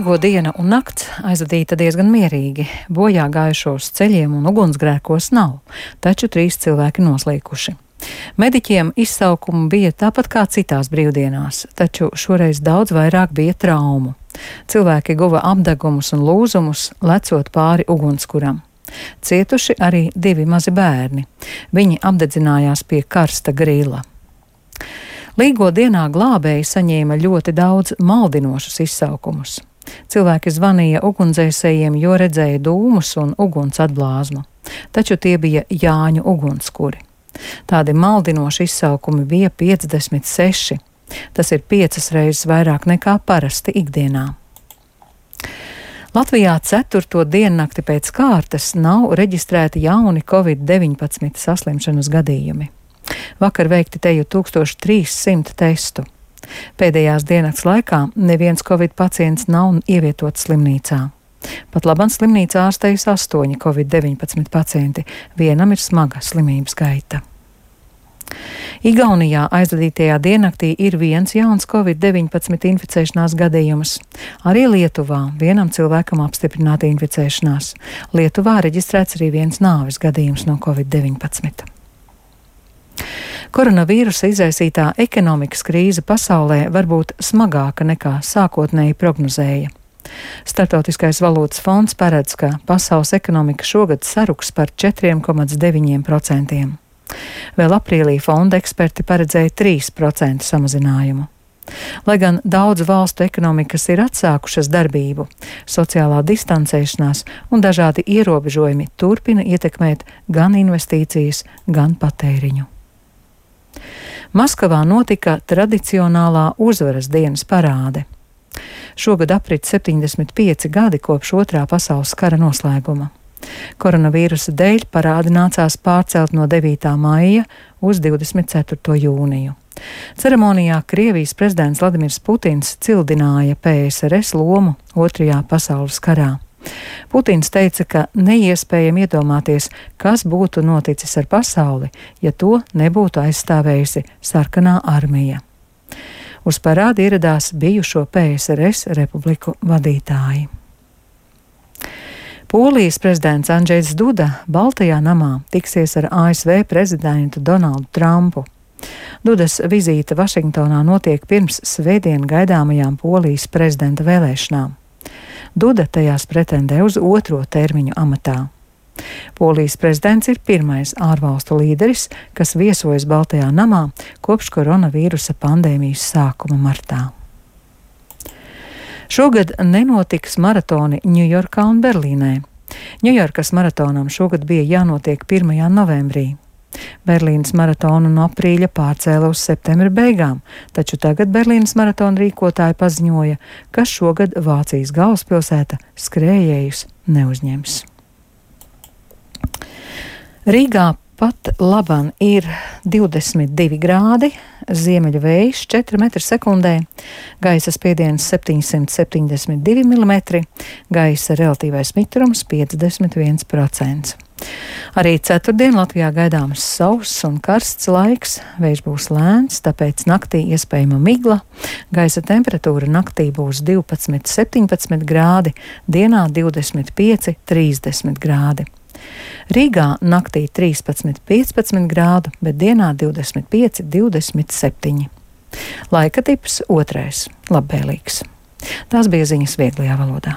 Diena un nakts aizvadīta diezgan mierīgi. Bojā gājušos ceļiem un ugunsgrēkos nav, taču 3 cilvēki noslīkuši. Mediķiem izsaukumi bija tāpat kā citās brīvdienās, taču šoreiz daudz vairāk bija traumu. Cilvēki guva apdegumus un lūzumus, lecot pāri ugunskuram. Cietuši arī 2 mazi bērni. Viņi apdedzinājās pie karsta grila. Līgo dienā glābēji saņēma ļoti daudz maldinošus izsaukumus. Cilvēki zvanīja ugunsdzēsējiem, jo redzēja dūmus un uguns atblāzmu, taču tie bija Jāņu ugunskuri. Tādi maldinoši izsaukumi bija 56. Tas ir 5 reizes vairāk nekā parasti ikdienā. Latvijā 4. diennakti pēc kārtas nav reģistrēti jauni Covid-19 saslimšanas gadījumi. Vakar veikti teju 1300 testu. Pēdējās diennakts laikā neviens Covid pacients nav ievietots slimnīcā. Pat labam slimnīcā ārstējas 8 Covid-19 pacienti, vienam ir smaga slimības gaita. Igaunijā aizvadītajā diennaktī ir viens jauns Covid-19 inficēšanās gadījums. Arī Lietuvā vienam cilvēkam apstiprināta inficēšanās. Lietuvā reģistrēts arī viens nāves gadījums no Covid-19. Koronavīrusa izraisītā ekonomikas krīze pasaulē var būt smagāka nekā sākotnēji prognozēja. Startautiskais valūtas fonds paredz, ka pasaules ekonomika šogad saruks par 4,9%. Vēl aprīlī fonda eksperti paredzēja 3% samazinājumu. Lai gan daudzu valstu ekonomikas ir atsākušas darbību, sociālā distancēšanās un dažādi ierobežojumi turpina ietekmēt gan investīcijas, gan patēriņu. Maskavā notika tradicionālā uzvaras dienas parāde. Šogad aprit 75 gadi kopš Otrā pasaules kara noslēguma. Koronavīrusa dēļ parādi nācās pārcelt no 9. maija uz 24. jūniju. Ceremonijā Krievijas prezidents Vladimirs Putins cildināja PSRS lomu Otrajā pasaules karā. Putins teica, ka neiespējami iedomāties, kas būtu noticis ar pasauli, ja to nebūtu aizstāvējusi sarkanā armija. Uz parādi ieradās bijušo PSRS republiku vadītāji. Polijas prezidents Andžejs Duda Baltajā namā tiksies ar ASV prezidentu Donaldu Trumpu. Dudas vizīte Vašingtonā notiek pirms svētdien gaidāmajām Polijas prezidenta vēlēšanām. Duda tajās pretendē uz 2. termiņu amatā. Polijas prezidents ir pirmais ārvalstu līderis, kas viesojas Baltajā namā kopš koronavīrusa pandēmijas sākuma martā. Šogad nenotiks maratoni Ņujorkā un Berlīnē. Ņujorkas maratonam šogad bija jānotiek 1. novembrī. Berlīnas maratonu no aprīļa pārcēla uz septembra beigām, taču tagad Berlīnas maratona rīkotāji paziņoja, ka šogad Vācijas galvaspilsēta skrējējus neuzņems. Rīgā pat laban ir 22 grādi, ziemeļu vējš 4 m/sekundē, gaisa spiediens 772 mm, gaisa relatīvais mitrums 51%. Arī ceturtdien Latvijā gaidāms sauss un karsts laiks, vējš būs lēns, tāpēc naktī iespējama migla, gaisa temperatūra naktī būs 12–17 grādi, dienā 25–30 grādi. Rīgā naktī 13–15 grādu, bet dienā 25–27. Laika tips 2. labvēlīgs. Tās bija ziņas vieglajā valodā.